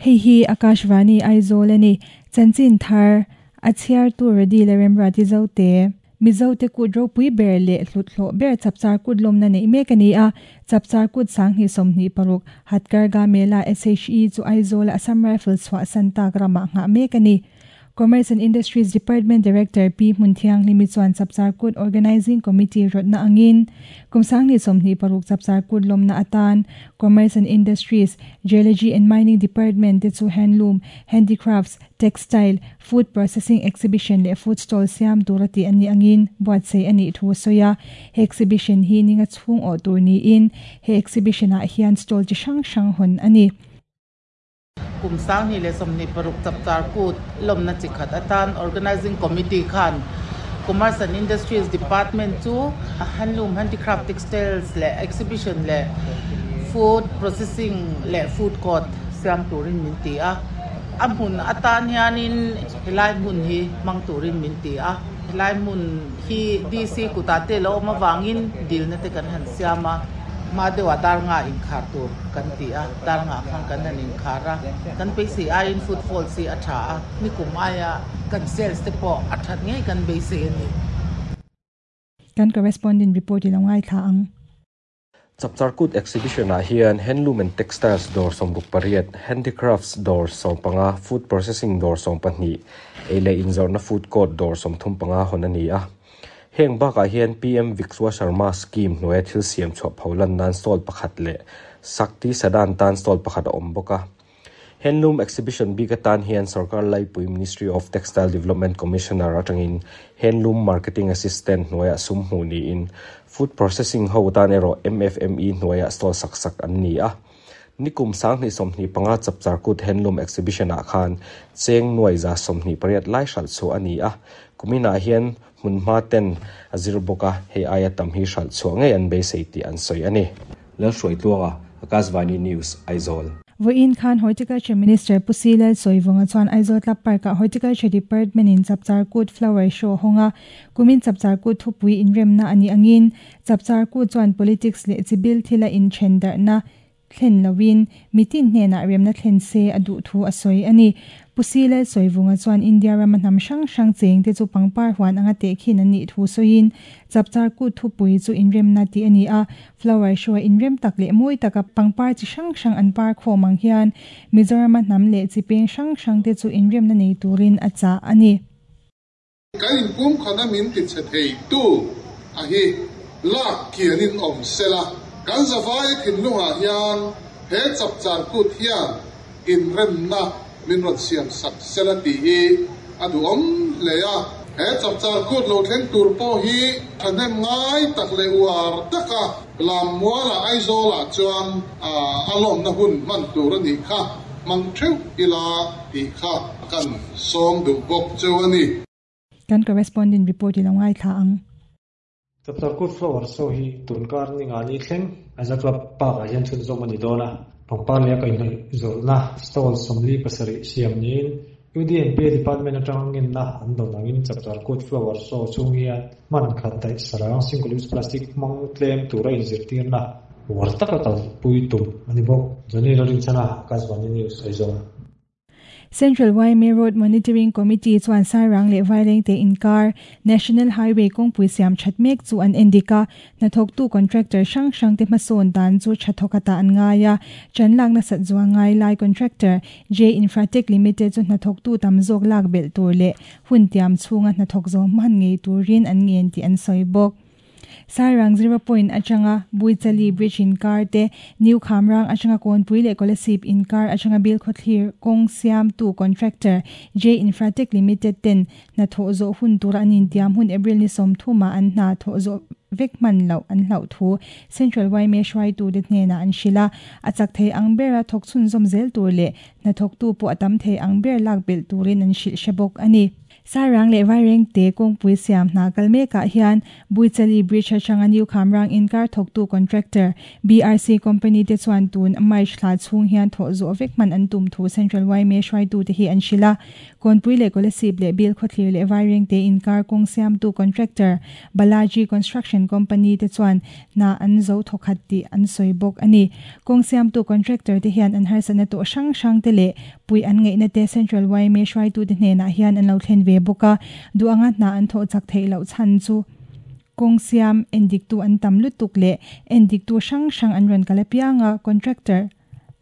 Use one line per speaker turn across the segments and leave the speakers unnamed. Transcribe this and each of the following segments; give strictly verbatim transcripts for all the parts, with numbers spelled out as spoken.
Hei hi Akashvani Aizawl ani chanchin thar a chhiar tu redi le remra ti zo te Mizo te kut ropui ber le hlut hlo ber chapchar kut lawmna nei mek ani a chapchar kut sanghnih sawmhnih paruk Hatkarga Mela S H E chu Aizawl Assam Rifles chhuah san tak ramah nghah mek ani. Commerce and Industries Department Director P Hmunthiang Hlimi chuan chapchar kut Organizing Committee rawtna angin kum sanghnih sawmhnih paruk chapchar kut lawmna atan Commerce and Industries, Geology and Mining Department te chu handloom, handicrafts, textile, food processing exhibition leh food stall siam tur ati ani angin buatsaih anih thu a sawi a. He exhibition hi ninga chhung awh tur niin he exhibition ah hian stall chi hrang hrang hawn ani.
Kum sanghnih leh sawmhnih paruk chapchar kut lawmna chi khat atan Organizing Committee khan Commerce and Industries Department chu handloom, handicraft, textiles leh exhibition leh food processing leh food court siam turin min ti a. A hmun atan hianin helai hmun hi hmang turin min ti a. Helai hmun hi D C kutah te lo awm awangin dilna te kan han siam a. Ma deuha dar nga inkhar tur kan ti a, dar nga khan kan han inkhar a. Kan beisei aiin footfall si a tha a, nikum aia kan sales te pawh a that ngei kan beisei ani.
Kan correspondent report i lo ngai thla ang.
Chapchar Kut exhibition ah hian handloom and textiles dawr sawmruk pariat, handicrafts dawr sawm panga, food processing dawr sawm pahnih, ei leh inzawrhna food court dawr sawmthum panga hawn ani a. Heng bakah hian P M Vishwa Sharma scheme hnuaia thil siam chhuah pholan nan stall pakhat leh Sakti Sadan tan stall pakhat a awm bawk a. Handloom exhibition bik atan hian Sarkar Laipui Ministry of Textile Development Commissioner atangin Handloom Marketing Assistant hnuaia sum hmuh niin food processing ho tan erawh M F M E hnuaia stall sak sak an ni a. Nikum sanghnih sawmhnih panga chapchar kut handloom exhibition ah khan cheng nuai za sawmhnih pariat lai hralh chu ani a. Kuminah hian hmunhma ten a zir bawk a, hei aia tam hi hralh chhuah ngei an beisei tih an sawi ani. Lalhruai Tluanga, Akashvani News, Aizawl.
Voin khan Horticulture Minister Pu C Lalsawivunga chuan Aizawl Club Park ah Horticulture Department in Chapchar Kut Flower Show hawnga. Kumin Chapchar Kut thupui inremna ani angin Chapchar Kut chuan politics leh chibil thila in then darhna thlen lovin mitin hnenah remna thlen se a duh thu a sawi ani. Pu C Lalsawivunga chuan India rama hnam hrang hrang cheng te chu pangpar huan anga teh khin an nih thu sawiin Chapchar Kut thupui chu inremna tih ani a. Flower show inrem tak leh mawi taka pangpar chi hrang hrang an par khawm ang hian Mizoram hnam leh chi peng hrang hrang te chu inremna nei turin a chah ani.
Kan in pum khana min ti che thei tu a hi lak kianin awm sela, kan zawai thinlungah hian he chapchar kut hian inremna min rawn siam sak sela tih hi a duhawm hle a. He chapchar kut lo thleng tur pawh hi thahnem ngai tak leh uar taka Lammuala Aizawlah chuan a lawmna hun hman tur anih kha hmang theuh ila tih kha kan sawm duh bawk cheu ani.
Kan correspondent report i lo ngai thla ang.
Chapchar Kut Flower Show hi tunkar ni ngani thleng Aizawl Club Park ah hian chhunzawm ani dawn a. Pangpar leh a kaihhnawih zawrhna stall sawmli pasarih siam niin U D and P Department atangin na an dawn angin Chapchar Kut Flower Show chhung hian hman khat daih sarang, single use plastic hmang tlem tura inzirtirna uar taka kalpui tum ani bawk. Johnny Lorinchana, Akashvani News, Aizawl.
Central Y M A Road Monitoring Committee chuan Sairang leh Vairengte inkar National Highway kawngpui siam that mek chu an endika. Hnathawktu contractor hrang hrang te hmasawn dan chu thathawk ata an ngai a. Chanlak na sat zuang ngai lai contractor J Infratech Limited chu hnathawktu tam zawk lak belh tur leh hun tiam chhunga hnathawk zawm hman ngei turin an ngen tih an sawi bawk. Sairang zero point atanga Buichali Bridge inkar te, New Khamrang atanga Kawnpui leh Kolasib inkar atanga Bilkhawthlir kawng siam tu contractor J Infratech Limited ten hnathawh zawh hun tura an intiam hun April ni sawmthuma an hna thawh zawh vek hman loh an hlauh thu Central Y M A hruaitu te hnenah an hrilh a. A chak thei ang bera thawk chhunzawm zel tur leh hnathawktu pawh a tam thei ang ber lak belh turin an hrilh hre bawk ani. Sairang leh Vairengte kawngpui siam hna kal mekah hian Buichali Bridge atanga New Khamrang inkar thawktu contractor B R C company te chuan tun March thla chhung hian thawh zawh vek hman an tum thu Central Y M A hruaitu te hi an hrilh a. Kawnpui leh Kolasib leh Bilkhawthlir leh Vairengte inkar kawng siamtu contractor Balaji Construction Company te chuan hna an zo thawkhat tih an sawi bawk a ni. Kawng siamtu contractor te hian an harsatna tawh hrang hrang te leh pui an ngaihna te Central Y M A hruaitu te hnenah hian an lo thlen ve bawk a. Duh anga hna an thawh chak theih loh chhan chu kawng siam endiktu an tam lutuk leh endiktu hrang hrang an rawn kal apianga contractor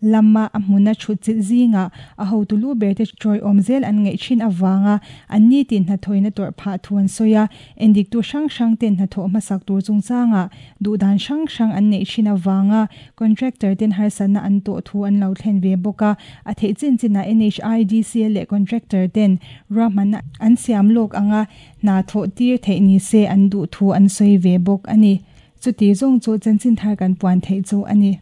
lama a hmuna thut chilh zinga a hotu lu ber te tawiawm zel an ngaih thin awanga an ni tin hnathawina tawrh phah thu an sawi a. Endiktu hrang hrang ten hnathawh hmasak tur chungchanga duhdan hrang hrang an neih thin awanga contractor ten harsatna an tawh thu an lo thlen ve bawk a. A theih chin chinah N H I D C L leh contractor ten ruahmanna an siam lawk anga hna thawh tir theih ni se an duh thu an sawi ve bawk a ni. Chuti zawng chu chanchin thar kan puan theih chu a ni.